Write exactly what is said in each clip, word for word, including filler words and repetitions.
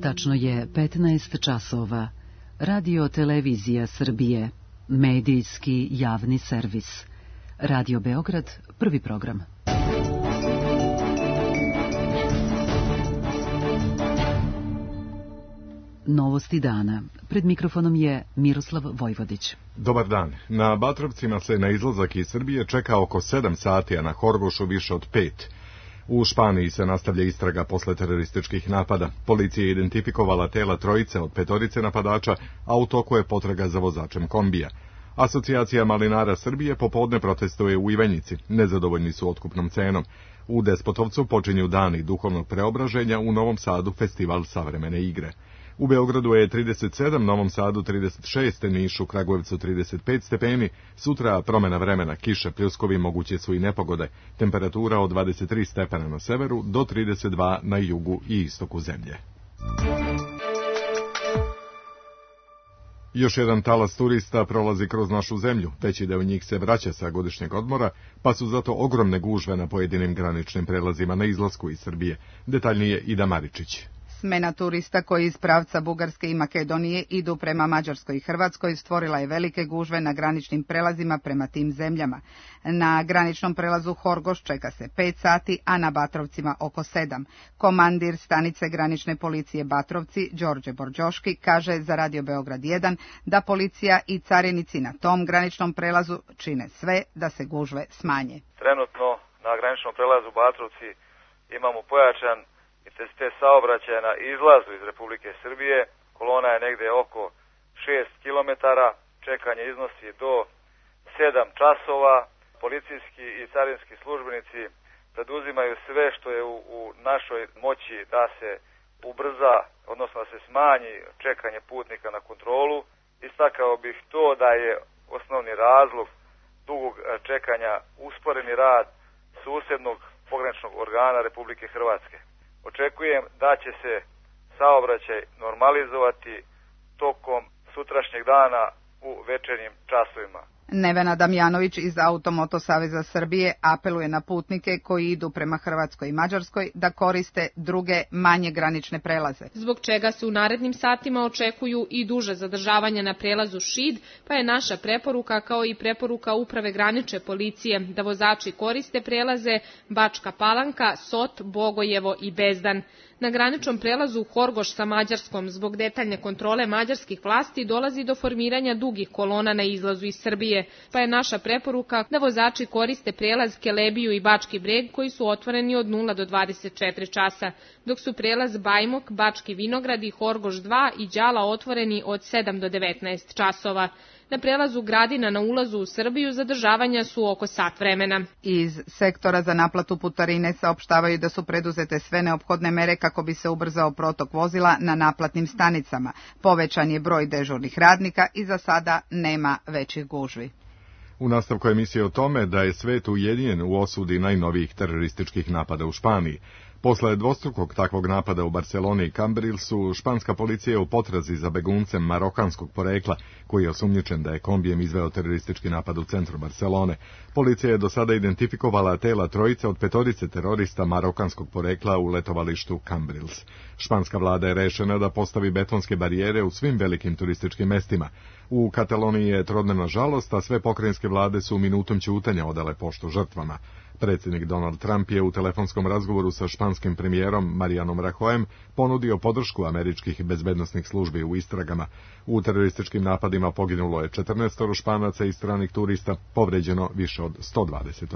Tačno je petnaest časova. Radio Televizija Srbije. Medijski javni servis. Radio Beograd, prvi program. Novosti dana. Pred mikrofonom je Miroslav Vojvodić. Dobar dan. Na Batrovcima se na izlazak iz Srbije čeka oko sedam sati, a na Horgošu više od pet. U Španiji se nastavlja istraga posle terorističkih napada. Policija je identifikovala tela trojice od petorice napadača, a u toku je potraga za vozačem kombija. Asocijacija malinara Srbije popodne protestuje u Ivanjici. Nezadovoljni su otkupnom cenom. U Despotovcu počinju dani duhovnog preobraženja, u Novom Sadu festival savremene igre. U Beogradu je trideset sedam, Novom Sadu trideset šest, Nišu, Kragujevcu trideset pet stepeni, sutra promena vremena, kiše, pljuskovi, moguće su i nepogode, temperatura od dvadeset tri stepena na severu do trideset dva na jugu i istoku zemlje. Još jedan talas turista prolazi kroz našu zemlju, veći deo njih se vraća sa godišnjeg odmora, pa su zato ogromne gužve na pojedinim graničnim prelazima na izlasku iz Srbije. Detaljnije Ida Maričić. Smena turista koji iz pravca Bugarske i Makedonije idu prema Mađarskoj i Hrvatskoj stvorila je velike gužve na graničnim prelazima prema tim zemljama. Na graničnom prelazu Horgoš čeka se pet sati, a na Batrovcima oko sedam. Komandir stanice granične policije Batrovci, Đorđe Borđoški, kaže za Radio Beograd jedan da policija i carinici na tom graničnom prelazu čine sve da se gužve smanje. Trenutno na graničnom prelazu Batrovci imamo pojačan intenzitet saobraćaja na izlazu iz Republike Srbije. Kolona je negde oko šest kilometara, čekanje iznosi do sedam časova. Policijski i carinski službenici preduzimaju sve što je u, u našoj moći da se ubrza, odnosno da se smanji čekanje putnika na kontrolu. Istakao bih to da je osnovni razlog dugog čekanja usporeni rad susednog pograničnog organa Republike Hrvatske. Očekujem da će se saobraćaj normalizovati tokom sutrašnjeg dana u večernjim časovima. Nevena Damjanović iz Automoto Saveza Srbije apeluje na putnike koji idu prema Hrvatskoj i Mađarskoj da koriste druge manje granične prelaze. Zbog čega se u narednim satima očekuju i duže zadržavanja na prelazu Šid, pa je naša preporuka kao i preporuka Uprave granične policije da vozači koriste prelaze Bačka Palanka, Sot, Bogojevo i Bezdan. Na graničnom prelazu Horgoš sa Mađarskom zbog detaljne kontrole mađarskih vlasti dolazi do formiranja dugih kolona na izlazu iz Srbije, pa je naša preporuka da vozači koriste prelaz Kelebiju i Bački Breg koji su otvoreni od nula do dvadeset četiri časa, dok su prelaz Bajmok, Bački Vinograd i Horgoš dva i Đala otvoreni od sedam do devetnaest časova. Na prelazu Gradina na ulazu u Srbiju zadržavanja su oko sat vremena. Iz sektora za naplatu putarine saopštavaju da su preduzete sve neophodne mere kako bi se ubrzao protok vozila na naplatnim stanicama. Povećan je broj dežurnih radnika i za sada nema većih gužvi. U nastavku emisije o tome da je svet ujedinjen u osudi najnovijih terorističkih napada u Španiji. Posle dvostrukog takvog napada u Barceloni i Cambrilsu, španska policija je u potrazi za beguncem marokanskog porekla, koji je osumnjičen da je kombijem izveo teroristički napad u centru Barcelone. Policija je do sada identifikovala tela trojice od petorice terorista marokanskog porekla u letovalištu Cambrils. Španska vlada je rešena da postavi betonske barijere u svim velikim turističkim mestima. U Kataloniji je trodnevna žalost, a sve pokrajinske vlade su minutom ćutanja odale poštu žrtvama. Predsjednik Donald Trump je u telefonskom razgovoru sa španskim premijerom Marianom Rajoyem ponudio podršku američkih bezbednosnih službi u istragama. U terorističkim napadima poginulo je četrnaest Španaca i stranih turista, povređeno više od sto dvadeset.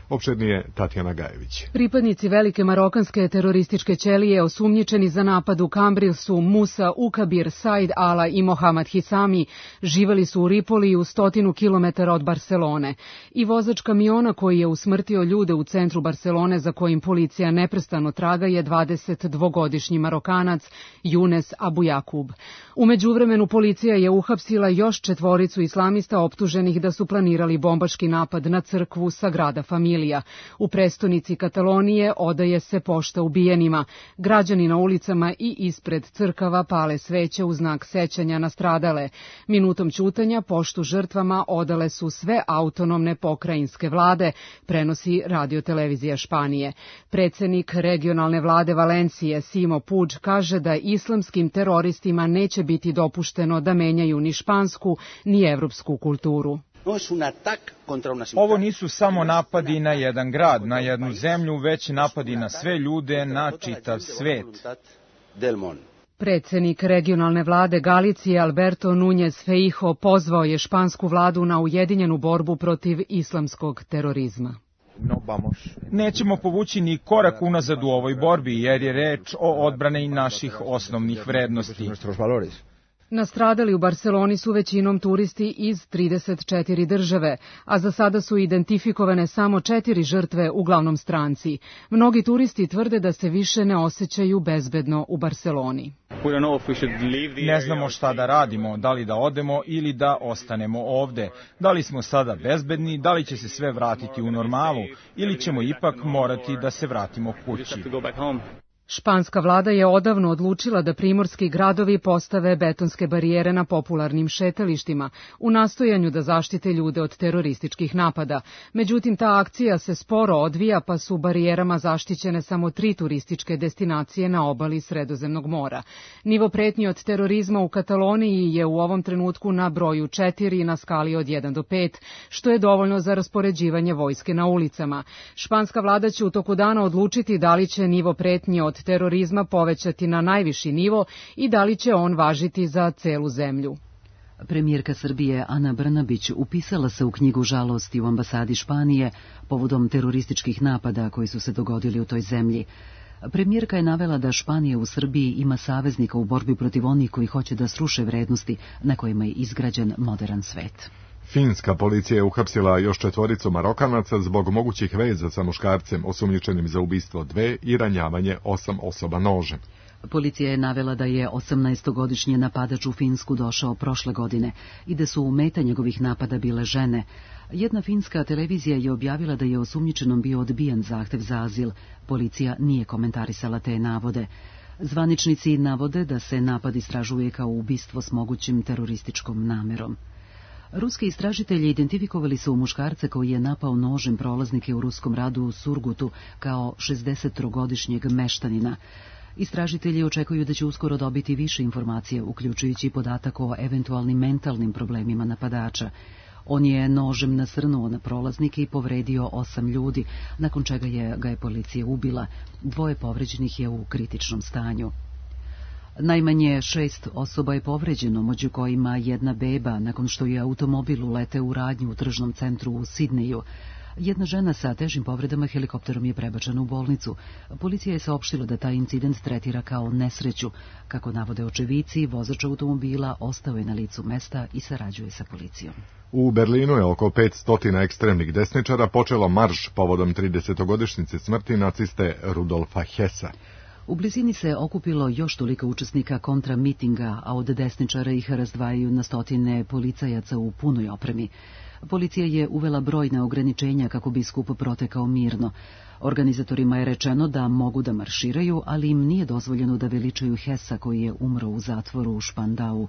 Opširnije Tatjana Gajević. Pripadnici velike marokanske terorističke ćelije osumnjičeni za napad u Cambrilsu, Musa Ukabir, Said Ala i Mohamed Hisami živeli su u Ripoli u stotinu kilometara od Barcelone. I vozač kamiona koji je usmrtio ljude u centru Barcelone za kojim policija neprestano traga je dvadesetdvogodišnji Marokanac Younes Abouyakoub. U međuvremenu policija je uhapsila još četvoricu islamista optuženih da su planirali bombaški napad na crkvu Sagrada Familia. U prestonici Katalonije odaje se pošta ubijenima. Građani na ulicama i ispred crkava pale sveće u znak sećanja na stradale. Minutom ćutanja poštu žrtvama odale su sve autonomne pokrajinske vlade, prenosi radiotelevizija Španije. Predsednik regionalne vlade Valencije Simo Puig kaže da islamskim teroristima neće biti dopušteno da menjaju ni špansku ni evropsku kulturu. Ovo nisu samo napadi na jedan grad, na jednu zemlju, već napadi na sve ljude, na čitav svet. Predsednik regionalne vlade Galicije Alberto Núñez Feijóo pozvao je špansku vladu na ujedinjenu borbu protiv islamskog terorizma. Nećemo povući ni korak unazad u ovoj borbi, jer je reč o odbrani naših osnovnih vrednosti. Nastradali u Barseloni su većinom turisti iz trideset četiri države, a za sada su identifikovane samo četiri žrtve, uglavnom stranci. Mnogi turisti tvrde da se više ne osjećaju bezbedno u Barseloni. Ne znamo šta da radimo, da li da odemo ili da ostanemo ovde. Da li smo sada bezbedni, da li će se sve vratiti u normalu ili ćemo ipak morati da se vratimo kući. Španska vlada je odavno odlučila da primorski gradovi postave betonske barijere na popularnim šetalištima u nastojanju da zaštite ljude od terorističkih napada. Međutim, ta akcija se sporo odvija, pa su barijerama zaštićene samo tri turističke destinacije na obali Sredozemnog mora. Nivo pretnji od terorizma u Kataloniji je u ovom trenutku na broju četiri na skali od jedan do pet, što je dovoljno za raspoređivanje vojske na ulicama. Španska vlada će u toku dana odlučiti da li će nivo pretnji od terorizma povećati na najviši nivo i da li će on važiti za celu zemlju. Premijerka Srbije Ana Brnabić upisala se u knjigu žalosti u ambasadi Španije povodom terorističkih napada koji su se dogodili u toj zemlji. Premijerka je navela da Španija u Srbiji ima saveznika u borbi protiv onih koji hoće da sruše vrednosti na kojima je izgrađen modern svet. Finska policija je uhapsila još četvoricu Marokanaca zbog mogućih veza sa muškarcem osumnjičenim za ubistvo dve i ranjavanje osam osoba nožem. Policija je navela da je osamnaestogodišnji napadač u Finsku došao prošle godine i da su u meta njegovih napada bile žene. Jedna finska televizija je objavila da je osumnjičenom bio odbijen zahtev za azil. Policija nije komentarisala te navode. Zvaničnici navode da se napad istražuje kao ubistvo s mogućim terorističkom namerom. Ruski istražitelji identifikovali su muškarca koji je napao nožem prolaznike u ruskom radu u Surgutu kao šezdesettrogodišnjeg meštanina. Istražitelji očekuju da će uskoro dobiti više informacija, uključujući podatak o eventualnim mentalnim problemima napadača. On je nožem nasrnuo na prolaznike i povredio osam ljudi, nakon čega je ga je policija ubila. Dvoje povređenih je u kritičnom stanju. Najmanje šest osoba je povređeno, među kojima jedna beba, nakon što je automobil uleteo u radnju u tržnom centru u Sidneju. Jedna žena sa težim povredama helikopterom je prebačena u bolnicu. Policija je saopštila da taj incident tretira kao nesreću. Kako navode očevici, vozač automobila ostao je na licu mesta i sarađuje sa policijom. U Berlinu je oko petsto ekstremnih desničara počelo marš povodom tridesetogodišnjice smrti naciste Rudolfa Hessa. U blizini se okupilo još toliko učesnika kontra mitinga, a od desničara ih razdvajaju na stotine policajaca u punoj opremi. Policija je uvela brojna ograničenja kako bi skup protekao mirno. Organizatorima je rečeno da mogu da marširaju, ali im nije dozvoljeno da veličaju Hessa koji je umro u zatvoru u Špandau.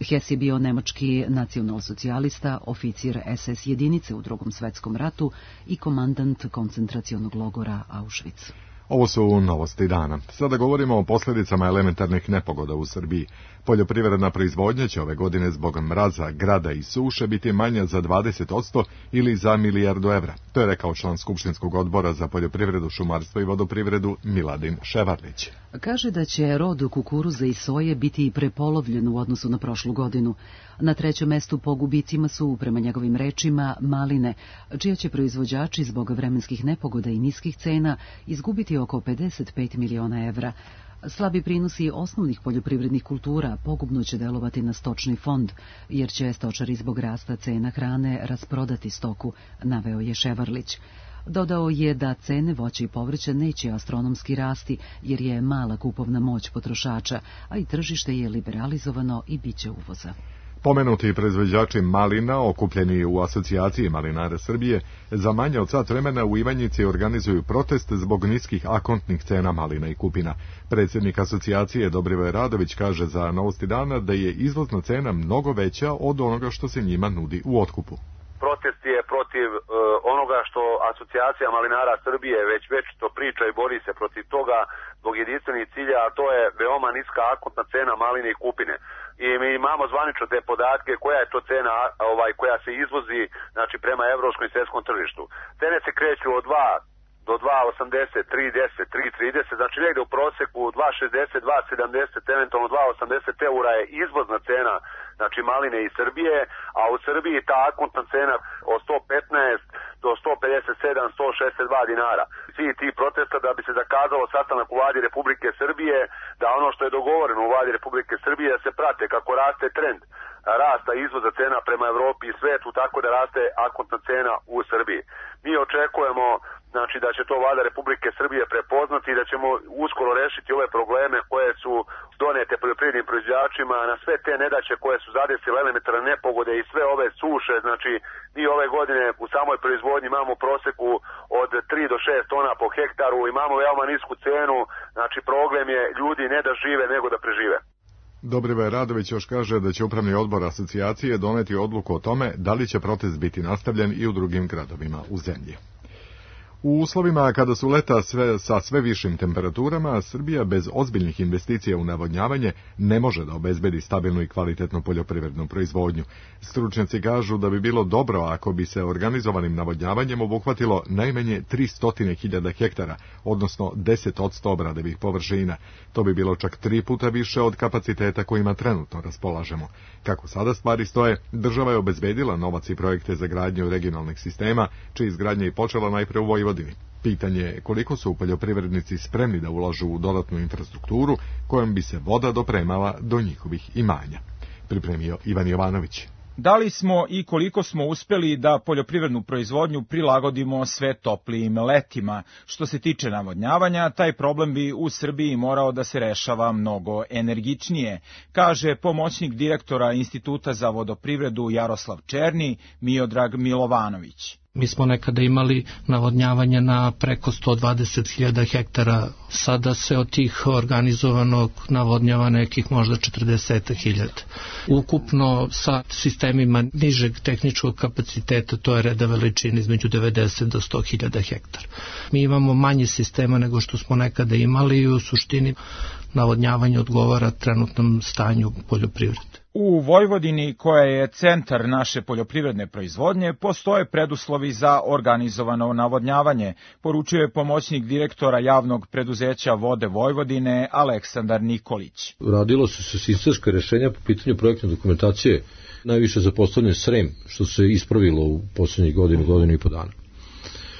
Hess je bio nemački nacionalsocijalista, oficir es es jedinice u Drugom svetskom ratu i komandant koncentracionog logora Auschwitz. Ovo su novosti dana. Sada govorimo o posljedicama elementarnih nepogoda u Srbiji. Poljoprivredna proizvodnja će ove godine zbog mraza, grada i suše biti manja za dvadeset posto ili za milijardu evra. To je rekao član Skupštinskog odbora za poljoprivredu, šumarstvo i vodoprivredu Miladin Ševarlić. Kaže da će rod kukuruza i soje biti prepolovljen u odnosu na prošlu godinu. Na trećem mestu po gubicima su, prema njegovim rečima, maline, čija će proizvođači zbog vremenskih nepogoda i niskih cena izgubiti oko pedeset pet miliona evra. Slabi prinosi osnovnih poljoprivrednih kultura pogubno će delovati na stočni fond, jer će stočari zbog rasta cena hrane rasprodati stoku, naveo je Ševarlić. Dodao je da cene voća i povrća neće astronomski rasti, jer je mala kupovna moć potrošača, a i tržište je liberalizovano i bit će uvoza. Pomenuti proizvođači malina, okupljeni u asocijaciji malinara Srbije, za manje od sat vremena u Ivanjici organizuju protest zbog niskih akontnih cena malina i kupina. Predsjednik asocijacije Dobrivoje Radović kaže za Novosti dana da je izvozna cena mnogo veća od onoga što se njima nudi u otkupu. protest je protiv uh, onoga što Asocijacija malinara Srbije već već to priča i bori se protiv toga zbog jedinstvenih cilja, a to je veoma niska akontna cena maline i kupine. I mi imamo zvanično te podatke koja je to cena ovaj koja se izvozi, znači prema evropskom i svjetskom tržištu. Cene se kreću od dva do dva osamdeset, tri deset, tri trideset, znači negde u proseku dva šezdeset, dva sedamdeset, eventualno dva osamdeset eura je izvozna cena, znači maline iz Srbije, a u Srbiji ta akontna cena od sto petnaest do sto pedeset sedam, sto šezdeset dva dinara. Svi ti protesta da bi se zakazalo sastanak u vladi Republike Srbije, da ono što je dogovoreno u vladi Republike Srbije da se prate kako raste trend rasta izvoza cena prema Evropi i svetu, tako da raste akontna cena u Srbiji. Mi očekujemo znači da će to vlada Republike Srbije prepoznati i da ćemo uskoro rešiti ove probleme koje su donete poljoprivrednim proizvođačima na sve te nedaće koje su zadesile elementarne nepogode i sve ove suše. Znači mi ove godine u samoj proizvodnji imamo u proseku od tri do šest tona po hektaru, imamo veoma nisku cenu, znači problem je ljudi ne da žive nego da prežive. Dobrivoje Radović još kaže da će upravni odbor asocijacije doneti odluku o tome da li će protest biti nastavljen i u drugim gradovima u zemlji. U uslovima kada su leta sve, sa sve višim temperaturama, Srbija bez ozbiljnih investicija u navodnjavanje ne može da obezbedi stabilnu i kvalitetnu poljoprivrednu proizvodnju. Stručnjaci kažu da bi bilo dobro ako bi se organizovanim navodnjavanjem obuhvatilo najmanje tristo hiljada hektara, odnosno deset posto obradivih površina. To bi bilo čak tri puta više od kapaciteta kojima trenutno raspolažemo. Kako sada stvari stoje, država je obezbedila novac i projekte za gradnju regionalnih sistema, čija izgradnja je počela najpre u Vojvodini. Pitanje je koliko su poljoprivrednici spremni da ulažu u dodatnu infrastrukturu kojom bi se voda dopremala do njihovih imanja. Pripremio Ivan Jovanović. Da li smo i koliko smo uspeli da poljoprivrednu proizvodnju prilagodimo sve toplijim letima? Što se tiče navodnjavanja, taj problem bi u Srbiji morao da se rešava mnogo energičnije, kaže pomoćnik direktora Instituta za vodoprivredu Jaroslav Černi, Miodrag Milovanović. Mi smo nekada imali navodnjavanje na preko sto dvadeset hiljada hektara, sada se od tih organizovanog navodnjava nekih možda četrdeset hiljada. Ukupno sa sistemima nižeg tehničkog kapaciteta to je reda veličine između devedeset do sto hiljada hektara. Mi imamo manje sistema nego što smo nekada imali i u suštini navodnjavanje odgovara trenutnom stanju poljoprivrede. U Vojvodini, koja je centar naše poljoprivredne proizvodnje, postoje preduslovi za organizovano navodnjavanje, poručuje pomoćnik direktora javnog preduzeća Vode Vojvodine Aleksandar Nikolić. Radilo se se sistemska rešenja po pitanju projektne dokumentacije, najviše zapostavljen Srem, što se ispravilo u poslednjih godinu, godinu i po dana.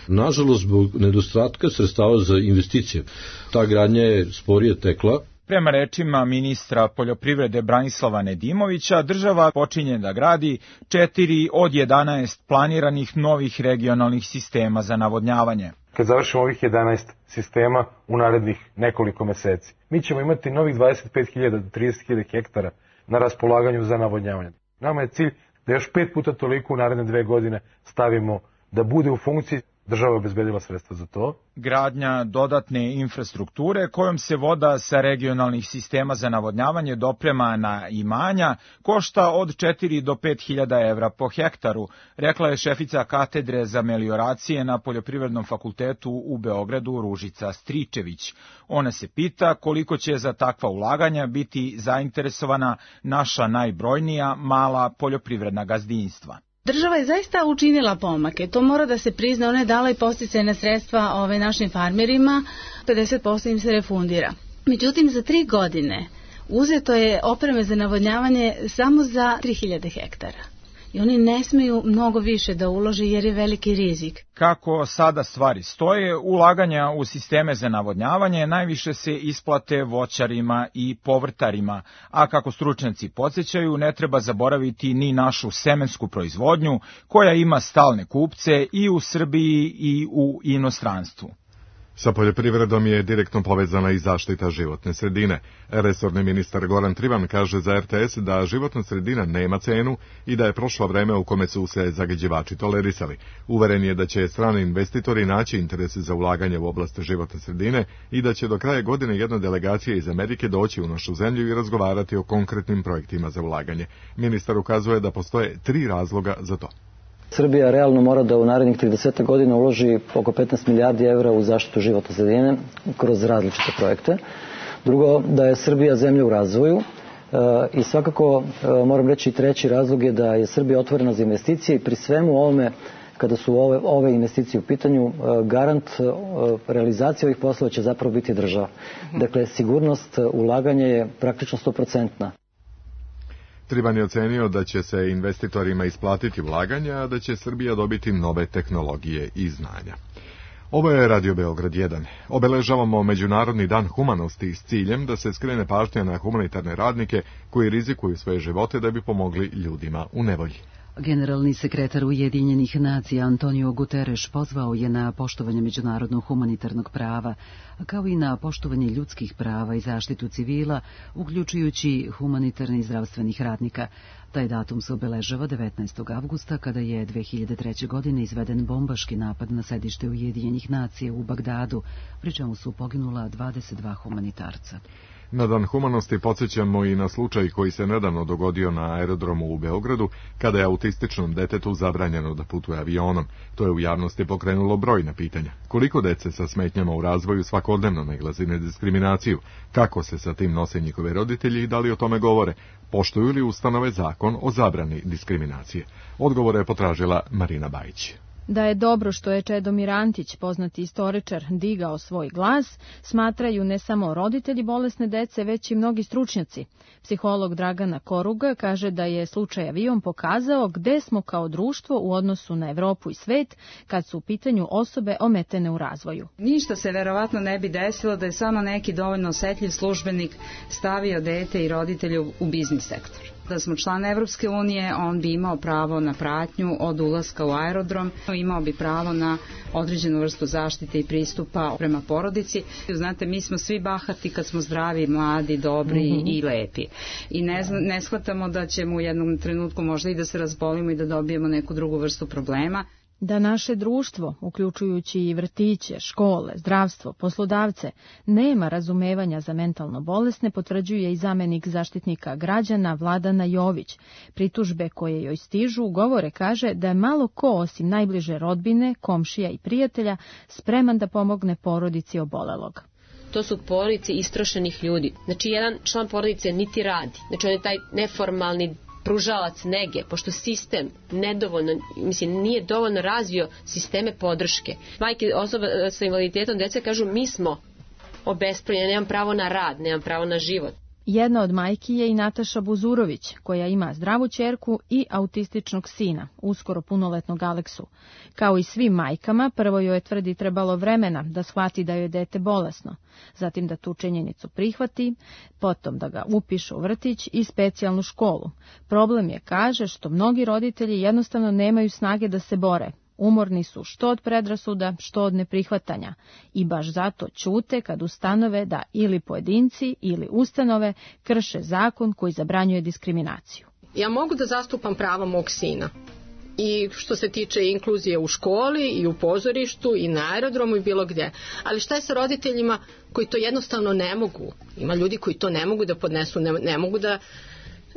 Nažalost, zbog nedostatka sredstava za investicije, ta gradnja je sporije tekla. Prema rečima ministra poljoprivrede Branislava Nedimovića, država počinje da gradi četiri od jedanaest planiranih novih regionalnih sistema za navodnjavanje. Kad završimo ovih jedanaest sistema u narednih nekoliko meseci, mi ćemo imati novih dvadeset pet hiljada do trideset hiljada hektara na raspolaganju za navodnjavanje. Nama je cilj da još pet puta toliko u naredne dve godine stavimo da bude u funkciji. Država je obezbedila sredstva za to. Gradnja dodatne infrastrukture kojom se voda sa regionalnih sistema za navodnjavanje doprema na imanja košta od četiri do pet hiljada evra po hektaru, rekla je šefica katedre za melioracije na Poljoprivrednom fakultetu u Beogradu Ružica Stričević. Ona se pita koliko će za takva ulaganja biti zainteresovana naša najbrojnija mala poljoprivredna gazdinstva. Država je zaista učinila pomake, to mora da se prizna, ona je dala i podsticajna sredstva ove našim farmerima, pedeset posto im se refundira. Međutim, za tri godine uzeto je opreme za navodnjavanje samo za tri hiljade hektara. I oni ne smeju mnogo više da ulože jer je veliki rizik. Kako sada stvari stoje, ulaganja u sisteme za navodnjavanje najviše se isplate voćarima i povrtarima, a kako stručnjaci podsjećaju, ne treba zaboraviti ni našu semensku proizvodnju, koja ima stalne kupce i u Srbiji i u inostranstvu. Sa poljoprivredom je direktno povezana i zaštita životne sredine. Resorni ministar Goran Trivan kaže za R T S da životna sredina nema cenu i da je prošlo vreme u kome su se zagađivači tolerisali. Uveren je da će strani investitori naći interes za ulaganje u oblast životne sredine i da će do kraja godine jedna delegacija iz Amerike doći u našu zemlju i razgovarati o konkretnim projektima za ulaganje. Ministar ukazuje da postoje tri razloga za to. Srbija realno mora da u narednih trideset godina uloži oko petnaest milijardi evra u zaštitu životne sredine kroz različite projekte. Drugo, da je Srbija zemlja u razvoju i svakako moram reći treći razlog je da je Srbija otvorena za investicije i pri svemu ovome kada su ove, ove investicije u pitanju, garant realizacije ovih poslova će zapravo biti država. Dakle, sigurnost ulaganja je praktično sto procentna. Triban je ocenio da će se investitorima isplatiti ulaganja, a da će Srbija dobiti nove tehnologije i znanja. Ovo je Radio Beograd jedan. Obeležavamo Međunarodni dan humanosti s ciljem da se skrene pažnja na humanitarne radnike koji rizikuju svoje živote da bi pomogli ljudima u nevolji. Generalni sekretar Ujedinjenih nacija Antonio Guterres pozvao je na poštovanje međunarodnog humanitarnog prava, kao i na poštovanje ljudskih prava i zaštitu civila, uključujući humanitarne i zdravstvenih radnika. Taj datum se obeležava devetnaestog avgusta, kada je dve hiljade treće. godine izveden bombaški napad na sedište Ujedinjenih nacija u Bagdadu, pri čemu su poginula dvadeset dva humanitarca. Na dan humanosti podsjećamo i na slučaj koji se nedavno dogodio na aerodromu u Beogradu, kada je autističnom detetu zabranjeno da putuje avionom. To je u javnosti pokrenulo brojna pitanja. Koliko dece sa smetnjama u razvoju svakodnevno nailazi na diskriminaciju? Kako se sa tim nose njihove roditelji i da li o tome govore? Poštuju li ustanove zakon o zabrani diskriminacije? Odgovore je potražila Marina Bajić. Da je dobro što je Čedomir Antić, poznati istoričar, digao svoj glas, smatraju ne samo roditelji bolesne dece, već i mnogi stručnjaci. Psiholog Dragana Koruga kaže da je slučaj avion pokazao gde smo kao društvo u odnosu na Evropu i svet kad su u pitanju osobe ometene u razvoju. Ništa se verovatno ne bi desilo da je samo neki dovoljno osetljiv službenik stavio dete i roditelju u biznis sektor. Da smo član Evropske unije, on bi imao pravo na pratnju od ulaska u aerodrom, imao bi pravo na određenu vrstu zaštite i pristupa prema porodici. Znate, mi smo svi bahati kad smo zdravi, mladi, dobri mm-hmm. i lepi. I ne, ne shvatamo da ćemo u jednom trenutku možda i da se razbolimo i da dobijemo neku drugu vrstu problema. Da naše društvo, uključujući i vrtiće, škole, zdravstvo, poslodavce, nema razumevanja za mentalno bolesne, potvrđuje i zamenik zaštitnika građana Vladana Jović. Pritužbe koje joj stižu govore, kaže, da je malo ko osim najbliže rodbine, komšija i prijatelja spreman da pomogne porodici obolelog. To su porodice istrošenih ljudi. Znači, jedan član porodice niti radi. Znači, on je taj neformalni pružalac nege, pošto sistem nedovoljno, mislim, nije dovoljno razvio sisteme podrške. Majke osoba sa invaliditetom dece kažu, mi smo obespravljeni, nemam pravo na rad, nemam pravo na život. Jedna od majki je i Nataša Buzurović, koja ima zdravu ćerku i autističnog sina, uskoro punoletnog Aleksu. Kao i svim majkama, prvo joj je, tvrdi, trebalo vremena da shvati da joj je dete bolesno, zatim da tu činjenicu prihvati, potom da ga upiše u vrtić i specijalnu školu. Problem je, kaže, što mnogi roditelji jednostavno nemaju snage da se bore. Umorni su što od predrasuda, što od neprihvatanja i baš zato ćute kad ustanove da ili pojedinci ili ustanove krše zakon koji zabranjuje diskriminaciju. Ja mogu da zastupam prava mog sina i što se tiče inkluzije u školi i u pozorištu i na aerodromu i bilo gdje. Ali šta je sa roditeljima koji to jednostavno ne mogu? Ima ljudi koji to ne mogu da podnesu, ne, ne mogu da,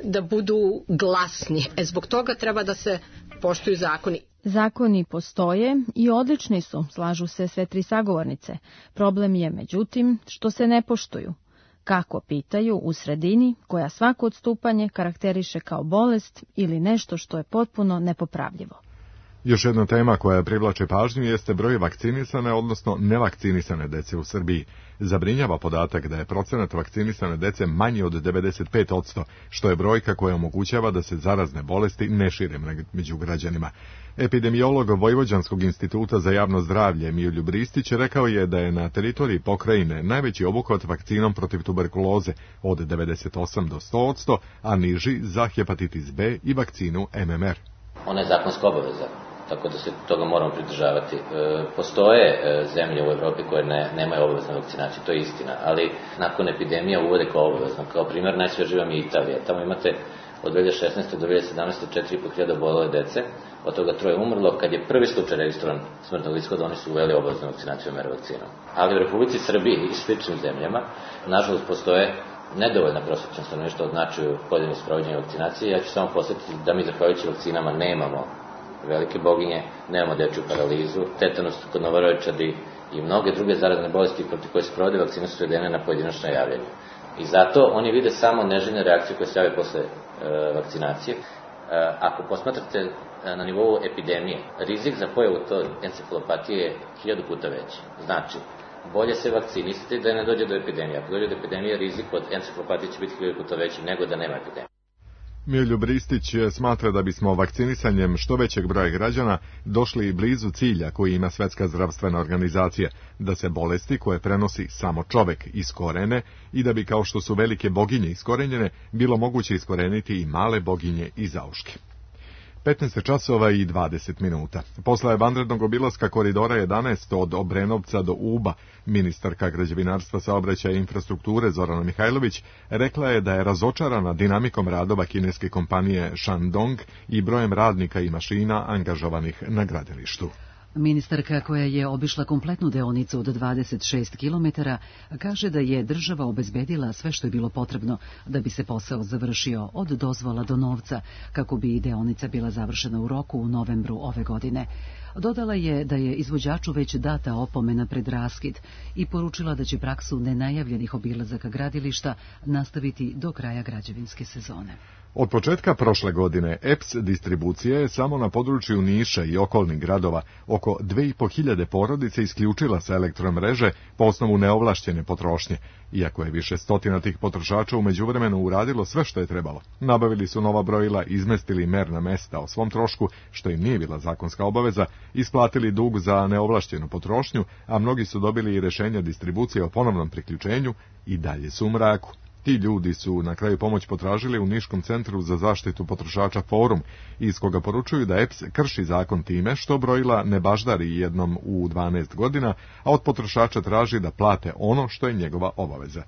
da budu glasni. E, zbog toga treba da se poštuju zakoni. Zakoni postoje i odlični su, slažu se sve tri sagovornice. Problem je, međutim, što se ne poštuju. Kako, pitaju, u sredini koja svako odstupanje karakteriše kao bolest ili nešto što je potpuno nepopravljivo. Još jedna tema koja privlače pažnju jeste broj vakcinisane, odnosno nevakcinisane dece u Srbiji. Zabrinjava podatak da je procenat vakcinisane dece manji od devedeset pet posto, što je brojka koja omogućava da se zarazne bolesti ne šire među građanima. Epidemiolog Vojvođanskog instituta za javno zdravlje Mioljub Ristić rekao je da je na teritoriji pokrajine najveći obuhvat vakcinom protiv tuberkuloze od devedeset osam do sto posto, a niži za hepatitis B i vakcinu M M R. Ona je zakonska obaveza, tako da se toga moramo pridržavati. E, postoje e, zemlje u Evropi koje ne, nemaju obaveznu vakcinaciju, to je istina, ali nakon epidemija uvode kao obavezno. Kao primjer najsvežija vam je Italija. Tamo imate od dve hiljade šesnaeste do dve hiljade sedamnaeste četiri i po hiljade obolele dece, od toga troje umrlo. Kad je prvi slučaj registrovan smrtnog ishoda, oni su uveli obaveznu vakcinaciju M R vakcinom. Ali u Republici Srbiji i sličnim zemljama, nažalost, postoje nedovoljna prosječna stanovništva od značaju pojedinih sprovođenja vakcinacije. Ja ću samo posjetiti da mi zahvaljujući vakcinama nemamo velike boginje, nemamo dečju paralizu, tetanus kod novorođenčadi i mnoge druge zarazne bolesti protiv koje se provode vakcine su svedene na pojedinačna javljanja. I zato oni vide samo neželjne reakcije koje se jave posle e, vakcinacije. E, ako posmatrate na nivou epidemije, rizik za pojavu to encefalopatije je hiljadu puta veći. Znači, bolje se vakcinisati da ne dođe do epidemije. Ako dođe do epidemije, rizik od encefalopatije će biti hiljadu puta veći nego da nema epidemije. Miljub Ristić smatra da bismo vakcinisanjem što većeg broja građana došli blizu cilja koji ima Svetska zdravstvena organizacija, da se bolesti koje prenosi samo čovek iskorene i da bi, kao što su velike boginje iskorenjene, bilo moguće iskoreniti i male boginje i zauške. petnaest časova i dvadeset minuta. Posle vanrednog obilaska koridora jedanaest od Obrenovca do Uba, ministarka građevinarstva, saobraćaja i infrastrukture Zorana Mihajlović rekla je da je razočarana dinamikom radova kineske kompanije Shandong i brojem radnika i mašina angažovanih na gradilištu. Ministarka, koja je obišla kompletnu deonicu od dvadeset šest kilometara, kaže da je država obezbedila sve što je bilo potrebno da bi se posao završio od dozvola do novca, kako bi deonica bila završena u roku u novembru ove godine. Dodala je da je izvođaču već data opomena pred raskid i poručila da će praksu nenajavljenih obilazaka gradilišta nastaviti do kraja građevinske sezone. Od početka prošle godine E P S distribucija je samo na području Niša i okolnih gradova oko dve i po hiljade porodice isključila sa elektromreže po osnovu neovlašćene potrošnje, iako je više stotina tih potrošača u međuvremenu uradilo sve što je trebalo. Nabavili su nova brojila, izmestili merna mesta o svom trošku, što im nije bila zakonska obaveza, isplatili dug za neovlašćenu potrošnju, a mnogi su dobili i rešenja distribucije o ponovnom priključenju i dalje su u mraku. Ti ljudi su na kraju pomoć potražili u Niškom centru za zaštitu potrošača Forum, iz koga poručuju da E P S krši zakon time što brojila ne baždari jednom u dvanaest godina, a od potrošača traži da plate ono što je njegova obaveza.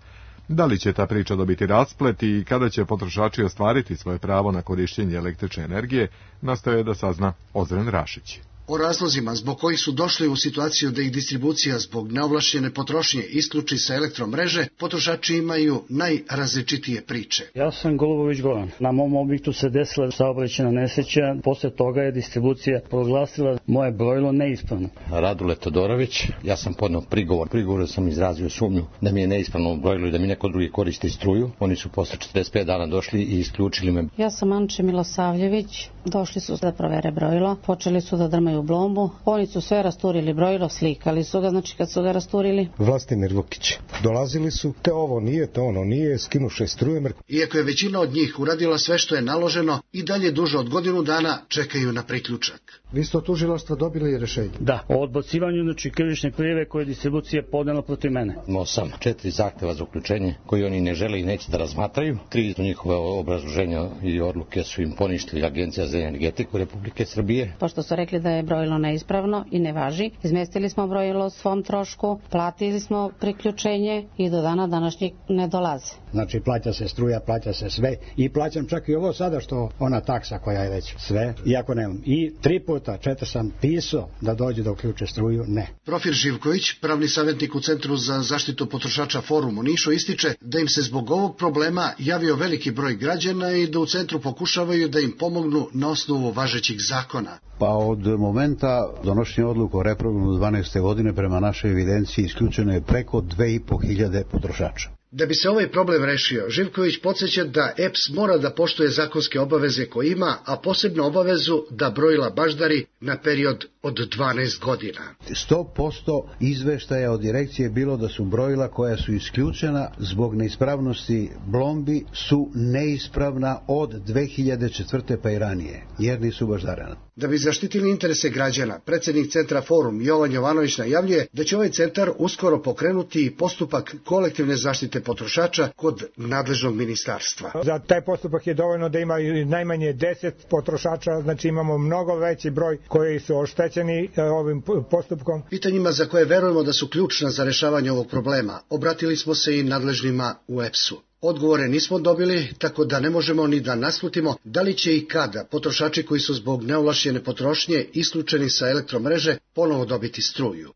Da li će ta priča dobiti rasplet i kada će potrošači ostvariti svoje pravo na korišćenje električne energije, nastoje da sazna Ozren Rašić. O razlozima zbog kojih su došli u situaciju da ih distribucija zbog neovlašćene potrošnje isključi sa elektromreže, potrošači imaju najrazličitije priče. Ja sam Golubović Goran. Na mom objektu se desila saobraćajna nesreća, posle toga je distribucija proglasila moje brojilo neispravno. Radule Todorović, ja sam podneo prigovor. Prigovor sam izrazio sumnju da mi je neispravno brojilo i da mi neko drugi koristi struju. Oni su posle četrdeset pet dana došli i isključili me. Ja sam Anče Milosavljević, došli su da provere brojilo, počeli su da drmaju u blombu. Oni su sve rasturili brojilo, slikali su ga, znači kad su ga rasturili. Vlastimir Vukić. Dolazili su, te ovo nije, te ono nije, skinuše struje. Iako je većina od njih uradila sve što je naloženo, i dalje duže od godinu dana čekaju na priključak. Vi ste od tužilaštva dobili rešenje? Da, o odbacivanju znači krivične prijave koje je distribucija podnela protiv mene. Imao sam četiri zahteva za uključenje koji oni ne žele i neće da razmatraju. Tri njihove obrazloženja i odluke su im poništili Agencija za energetiku Republike Srbije. Pošto su rekli da je brojilo neispravno i ne važi, izmestili smo brojilo o svom trošku, platili smo priključenje i do dana današnjeg ne dolaze. Znači plaća se struja, plaća se sve i plaćam čak i ovo sada što ona taksa koja je već sve, iako nemam. I tri puta, četiri sam pisao da dođe da uključe struju, ne. Profil Živković, pravni savjetnik u Centru za zaštitu potrošača Forum u Nišu, ističe da im se zbog ovog problema javio veliki broj građana i da u centru pokušavaju da im pomognu na osnovu važećih zakona. Pa od momenta donošenja odluka o reprogramu dvanaeste godine prema našoj evidenciji isključeno je preko dve i po hiljade potrošača. Da bi se ovaj problem rešio, Živković podsjeća da E P S mora da poštuje zakonske obaveze koje ima, a posebno obavezu da brojila baždari na period od dvanaest godina. sto posto izveštaja od direkcije bilo da su brojila koja su isključena zbog neispravnosti blombi su neispravna od dve hiljade četvrte pa i ranije, jer nisu baždarena. Da bi zaštitili interese građana, predsjednik Centra Forum Jovan Jovanović najavljuje da će ovaj centar uskoro pokrenuti postupak kolektivne zaštite potrošača kod nadležnog ministarstva. Za taj postupak je dovoljno da ima najmanje deset potrošača, znači imamo mnogo veći broj koji su oštećeni ovim postupkom. Pitanjima za koje verujemo da su ključna za rešavanje ovog problema, obratili smo se i nadležnima u E P S-u. Odgovore nismo dobili, tako da ne možemo ni da naslutimo da li će i kada potrošači koji su zbog neovlašćene potrošnje isključeni sa elektromreže ponovo dobiti struju.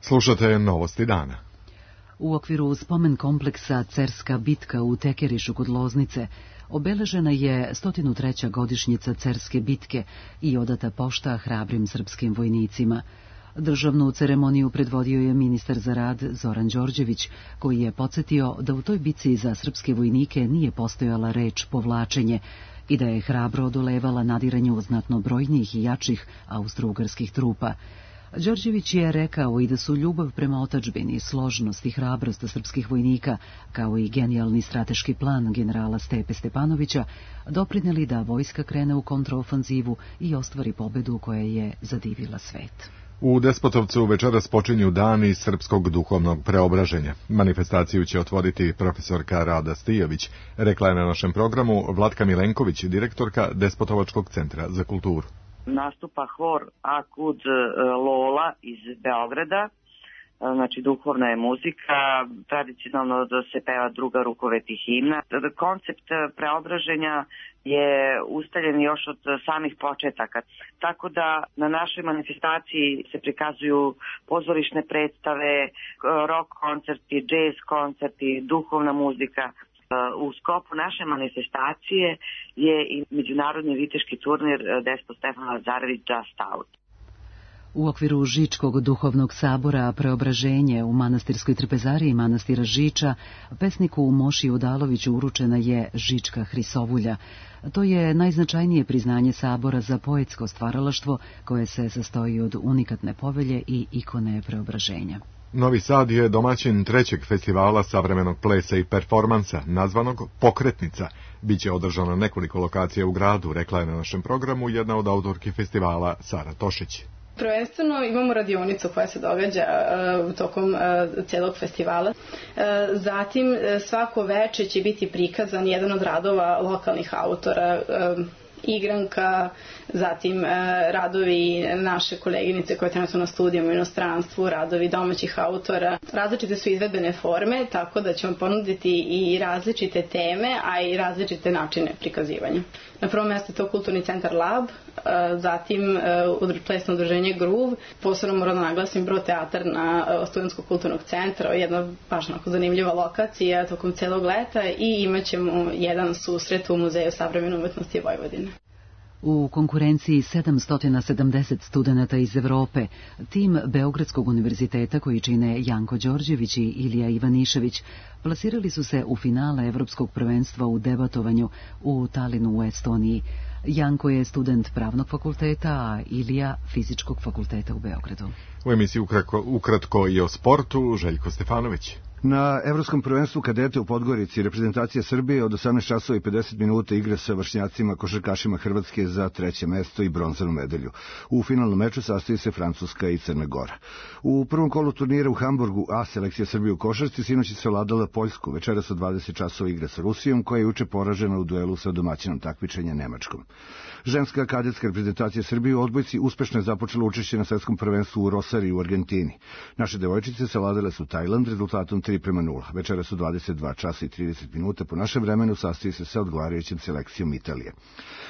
Slušate novosti dana. U okviru spomen kompleksa Cerska bitka u Tekerišu kod Loznice obeležena je sto treća godišnjica Cerske bitke i odata pošta hrabrim srpskim vojnicima. Državnu ceremoniju predvodio je ministar za rad Zoran Đorđević, koji je podsjetio da u toj bitci za srpske vojnike nije postojala reč povlačenje i da je hrabro odolevala nadiranju znatno brojnijih i jačih austrougarskih trupa. Đorđević je rekao i da su ljubav prema otadžbini, složnost i hrabrost srpskih vojnika, kao i genijalni strateški plan generala Stepe Stepanovića, doprineli da vojska krene u kontraofanzivu i ostvari pobedu koja je zadivila svet. U Despotovcu večeras počinju dani srpskog duhovnog preobraženja. Manifestaciju će otvoriti profesorka Rada Stijović, rekla je na našem programu Vlatka Milenković, direktorka Despotovačkog centra za kulturu. Nastupa hor Akud Lola iz Beograda, znači duhovna je muzika, tradicionalno da se peva druga rukoveti himna. Koncept preobraženja je ustaljen još od samih početaka, tako da na našoj manifestaciji se prikazuju pozorišne predstave, rock koncerti, jazz koncerti, duhovna muzika. U sklopu naše manifestacije je i međunarodni viteški turnir Despo Stefan Lazarević Just Out. U okviru Žičkog duhovnog sabora Preobraženje u manastirskoj trpezariji manastira Žiča, pesniku Moši Udaloviću uručena je Žička Hrisovulja. To je najznačajnije priznanje sabora za poetsko stvaralaštvo koje se sastoji od unikatne povelje i ikone Preobraženja. Novi Sad je domaćin trećeg festivala savremenog plesa i performansa, nazvanog Pokretnica. Biće održano nekoliko lokacija u gradu, rekla je na našem programu jedna od autorki festivala Sara Tošić. Prvenstveno imamo radionicu koja se događa uh, tokom uh, celog festivala. Uh, zatim uh, svako veče će biti prikazan jedan od radova lokalnih autora, uh, igranka, zatim e, radovi naše koleginice koje trenutno na studijama u inostranstvu, radovi domaćih autora. Različite su izvedbene forme, tako da ćemo ponuditi i različite teme, a i različite načine prikazivanja. Na prvom mjestu je to Kulturni centar Lab, e, zatim e, plesno udruženje Groove, posebno moram da naglasim Bro teatar na e, Studentskog kulturnog centra, jedna baš onako zanimljiva lokacija tokom celog leta i imat ćemo jedan susret u Muzeju savremene umetnosti Vojvodine. U konkurenciji sedamsto sedamdeset studenata iz Evrope, tim Beogradskog univerziteta koji čine Janko Đorđević i Ilija Ivanišević, plasirali su se u finale Evropskog prvenstva u debatovanju u Talinu u Estoniji. Janko je student pravnog fakulteta, a Ilija fizičkog fakulteta u Beogradu. U emisiji ukratko, ukratko i o sportu, Željko Stefanović. Na Evropskom prvenstvu kadete u Podgorici reprezentacija Srbije od osamnaest časova i pedeset minuta igra sa vršnjacima košarkašima Hrvatske za treće mesto i bronzanu medalju. U finalnom meču sastoji se Francuska i Crna Gora. U prvom kolu turnira u Hamburgu A selekcija Srbije u košarci sinoć je savladala Poljsku. Večeras od dvadeset časova igra sa Rusijom, koja je juče poražena u duelu sa domaćinom takmičenja Nemačkom. Ženska kadetska reprezentacija Srbije u odbojci uspešno je započela učešće na svetskom prvenstvu u Rosariju u Argentini. Naše devojčice savladale su Tajland rezultatom tri prema nula. Večera su dvadeset dva časa i trideset minuta po našem vremenu, sastoji se sa odgovarajućim selekcijom Italije.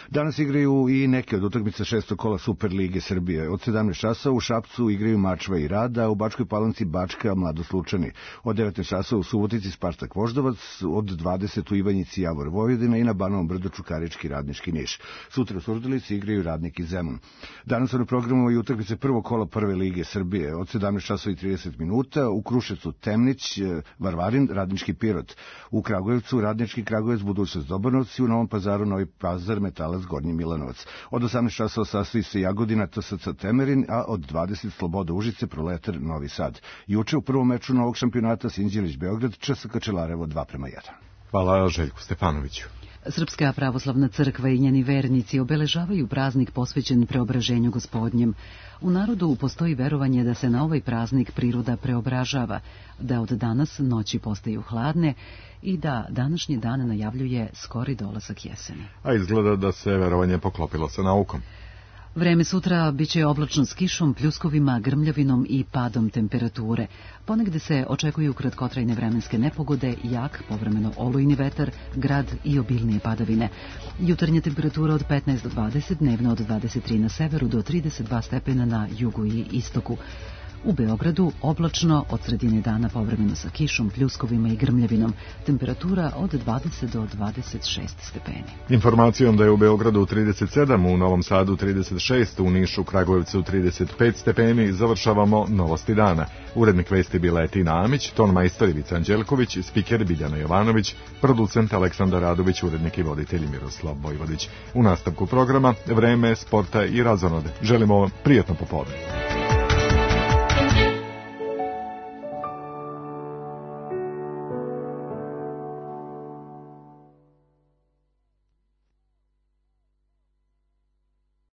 Danas igraju i neke od utakmica šestog kola Super lige Srbije. Od sedamnaest časa u Šapcu igraju Mačva i Rada, a u Bačkoj Palanci Bačka Mladost Lučani. Od devetnaest časa u Subotici Spartak Voždovac, od dvadeset u Ivanjici Javor Vojvodina i na Banovom Brdu Čukarički Radnički Niš. Sutra u Surdulici igraju Radnik i Zemun. Danas su na programu i utakmice prvog kola Prve lige Srbije. Od sedamnaest časova i trideset minuta u Kruševcu Temnić, Varvarin, Radnički Pirot. U Kragujevcu Radnički Kragujevac, Budućnost Dobanovci i u Novom Pazaru Novi Pazar, Metalac Gornji Milanovac. Od osamnaest časova sastoji se Jagodina T S C Temerin, a od dvadeset Sloboda Užice Proletar Novi Sad. Juče u prvom meču novog šampionata Sinđelić Beograd Č S K Čelarevo dva prema jedan. Hvala Željku Stefanoviću. Srpska pravoslavna crkva i njeni vernici obeležavaju praznik posvećen preobraženju Gospodnjem. U narodu postoji verovanje da se na ovaj praznik priroda preobražava, da od danas noći postaju hladne i da današnji dan najavljuje skori dolazak jeseni. A izgleda da se verovanje poklopilo sa naukom. Vreme sutra biće oblačno s kišom, pljuskovima, grmljavinom i padom temperature. Ponegde se očekuju kratkotrajne vremenske nepogode, jak, povremeno olujni vetar, grad i obilnije padavine. Jutarnja temperatura od petnaest do dvadeset, dnevno od dvadeset tri na severu do trideset dva stepena na jugu i istoku. U Beogradu oblačno, od sredine dana povremeno sa kišom, pljuskovima i grmljavinom. Temperatura od dvadeset do dvadeset šest stepeni. Informacijom da je u Beogradu trideset sedam, u Novom Sadu trideset šest, u Nišu, Kragujevcu trideset pet stepeni, završavamo novosti dana. Urednik vesti bila je Tina Amić, ton majstor Ivica Anđelković, spiker Biljana Jovanović, producent Aleksandar Radović, urednik i voditelj Miroslav Vojvodić. U nastavku programa vreme, sporta i razonode. Želimo vam prijatno popodne.